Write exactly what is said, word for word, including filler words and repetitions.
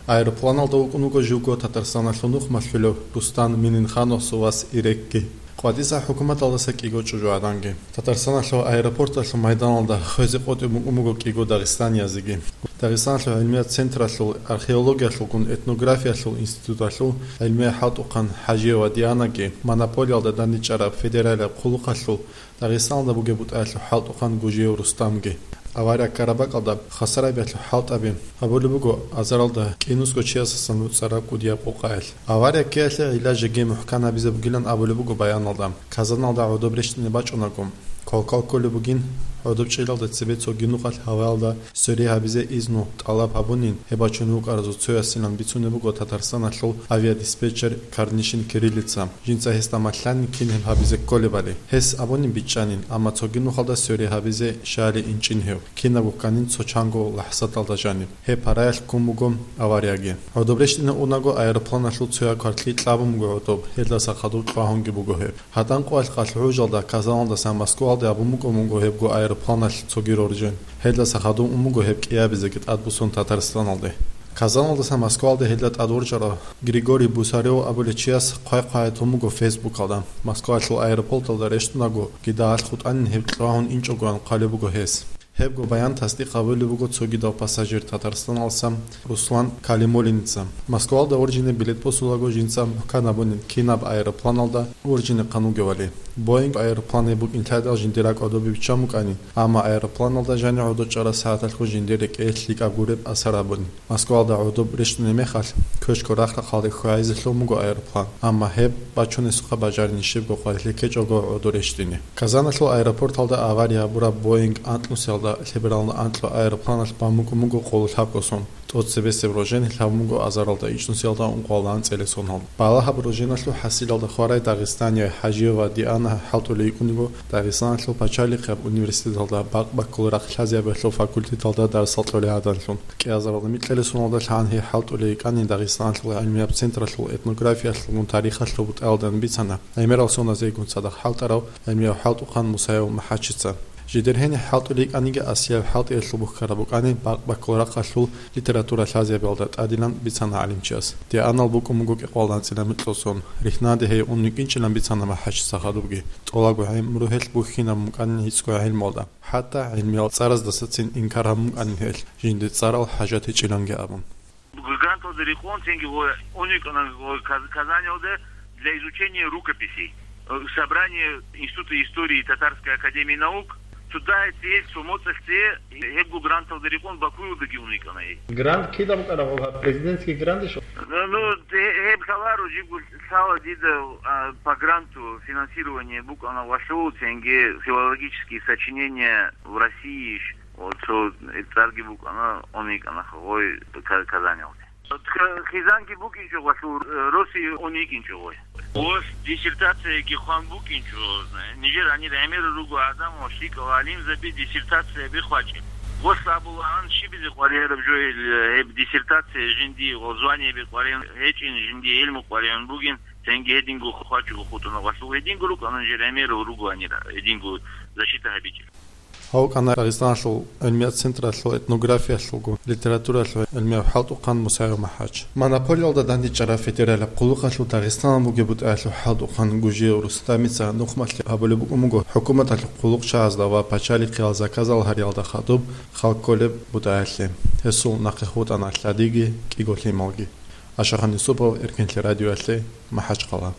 Аэропланалда вукӀун вуго живго Татарстаналъул нухмалъулев Рустам Мининхановасул вас Ирекги. КъватӀиса хӀукуматалдаса кӀиго чӀужугӀаданги. Татарстаналъул аэропорталъул майданалда хвезе къотӀун букӀун буго кӀиго дагъистаниязеги. Дагъистаналъул гӀилмият централъул археологиялъулгун этнографиялъул институталъул гӀилмияй хӀалтӀухъан ХӀажиева Дианаги монополиялда дандечӀараб федералияб хъулухъалъул Дагъистаналда бугеб бутӀаялъул хӀалтӀухъан Гужиев Рустамги. Авария ккараб бакӀалда хвасарабиялъул хӀалтӀаби гьабулеб буго азаралда кӀинусго чиясасан нуцӀараб кӀудияб къокъаялъ. Авария ккеялъе гӀилла жеги мухӀкан гьабизе бугилан абулеб буго баяналда. Казаналда гӀодоб рещтӀине бачӀунаго, квалквал кколеб бугин, гӀодоб чӀелалда цебе цоги нухалъ гьаваялда свере гьабизе изну тӀалаб гьабунин, гьеб бачун вукӀаразул цоясилан бицунеб буго Татарстаналъул авиадиспетчер Карнишин Кириллица. Жинца гьесда малъанин кин гьеб гьабизе кколебали. Гьес абунин бичӀчӀанин, амма цоги нухалда свере гьабизе щали инчӀин гьев, кинабго кканин цо чанго лахӀзаталда жаниб. Гьеб параялъ ккун буго аварияги. ГӀодоб рещтӀине унаго аэропланалъул цояб кваркьи кьабун буго гӀодоб, гьелдаса хадуб кьвагьунги буго гьеб. ГьатӀан къоялъ къалъ гӀужалда Казаналдасан Москвалде абун букӀун буго гьебго аэропланалъ цоги роржен. Гьелдаса хадуб ун буго гьеб кӀиабизеги тӀадбуссун Татарстаналде. Казаналдасан Москвалде гьелда тӀадворчӀарав Григорий Бусарев абулев чияс хъвай-хъвай тун буго Фейсбукалда. Москвалъул аэропорталда рещтӀунаго, гидагьалъ хутӀанин гьеб кьвагьун инчӀогоян хъвалеб буго гьес. Гьебго баян тасдикъ гьабулеб буго цогидав пассажир Татарстаналдасан Руслан Калимуллиница. Москвалда вуржине билет босулаго жинца мухӀкан гьабунин кинаб аэропланалда вуржине хъан вугевали. Боинг аэроплан гьеб букӀин лъадал жиндир ракӀ гӀодобе биччан букӀанин, амма аэропланалда жанив гӀодов чӀараб сагӀаталъго жиндир рекӀее лъикӀаб гуреб асар гьабунин. Москвалда гӀодоб рещтӀунеб мехалъ, квешго рахъ-рахъалде хьвайзе лъун буго аэроплан, амма гьеб бачунесухъа бажарин щибго къварилъи ккечӀого гӀодо рещтӀине. Казаналъул аэропорталда авария гьабураб Боинг анкьнусиялда лъебералда анкьго аэропланалъ бан букӀун буго къоло лъабго сон. ТӀоцебесеб рожен лъабун буго азаралда ичӀнусиялда ункъоялда анцӀила соналда. Балагьаб роженалъул хӀасилалда хварай дагъистанияй ХӀажиева Диана хӀалтӀулей йикӀун йиго Дагъистаналъул пачалихъияб университеталда бакъ-баккулеб рахъ лъазабиялъул факультеталда дарсал кьолей гӀадамлъун. КӀиазаралда микьила соналда лъан гьей хӀалтӀулей йикӀанин Дагъистаналъул гӀилмияб централъул этнографиялъулгун тарихалъул бутӀаялда бицана гӀемерал соназейгун цадахъ хӀалтӀарав гӀилмияв хӀалтӀухъан Мусаев МахӀачица. Жидер гьениб хӀалтӀулей йикӀаниги, асияб хӀалтӀиялъул бухьараб букӀанин бакъ-баккулеб рахъалъул литература лъазабиялда тӀадилан бицана гӀалимчияс. Дианал букӀун буго кӀикъоялда анцӀила микьго сон. Рихьнаде гьей ун йикӀинчӀилан бицана МахӀачица хадубги. ТӀолабго гӀумру гьелъ бухьинабун букӀанин гьецӀго гӀелмуялда. ХӀатта гӀилмиял цӀараздасацин инкар гьабун букӀанин гьелъ, жинде цӀарал хӀажат гьечӀиланги абун. Гранталда рекъон цинги гъой ун йикӀана гъой Каз-, Казанилда для изучения рукописей, э, собрание Института истории Татарской академии наук, цо дагьаб цеялъ, цо моцӀалъ цее, гьебго гранталда рекъон Бакуялдаги ун йикӀана гьей. Грант кида букӀана гъоб, президентский грант ишо? Ну, ну, гье-, гьеб лъаларо, жибго лъала дида, а, по гранту финансирование букӀана валъул, цинги филологические сочинения в России иш. О, цо цӀарги букӀана, ун йикӀана гъой Ка-, Казанилде. Х-, хизанги букӀинчӀо гъолъул, э, Россия ун йикӀинчӀо гъой. Гъос диссертацияги хъван букӀинчӀо. Нижер гьанир гӀемер руго гӀадамал, лъикӀал гӀалимзаби диссертацияби хъвачӀеб. Гъос абулаан щибизе къваригӀараб жо гьел, э, гьеб диссертация жинди, гъо, званиеби къваригӀун гьечӀин, жинди гӀилму къваригӀун бугин, цинги гьединго хъвачӀого хутӀуна гъолъул. Гьединго рукӀана нижер гӀемер руго гьанир, гьединго защита гьабичӀел. Гьав вукӀана Дагъистаналъул гӀилмият централъул этнографиялъулгун литературалъул гӀилмияв хӀалтӀухъан Мусаев МахӀач. Монополиялда дандечӀараб федералияб хъулухъалъул Дагъистаналда бугеб бутӀаялъул хӀалтӀухъан Гужиев Рустамица нухмалъи гьабулеб букӀун буго хӀукуматалъул хъулухъчагьазда ва пачалихъиял заказал гьариялда хадуб халкъ кколеб бутӀаялъе. Гьесул нахъе хутӀана лъадиги кӀиго лъималги. Ашахан Юсупов, Эркенлъи радиоялъе, МахӀачхъала.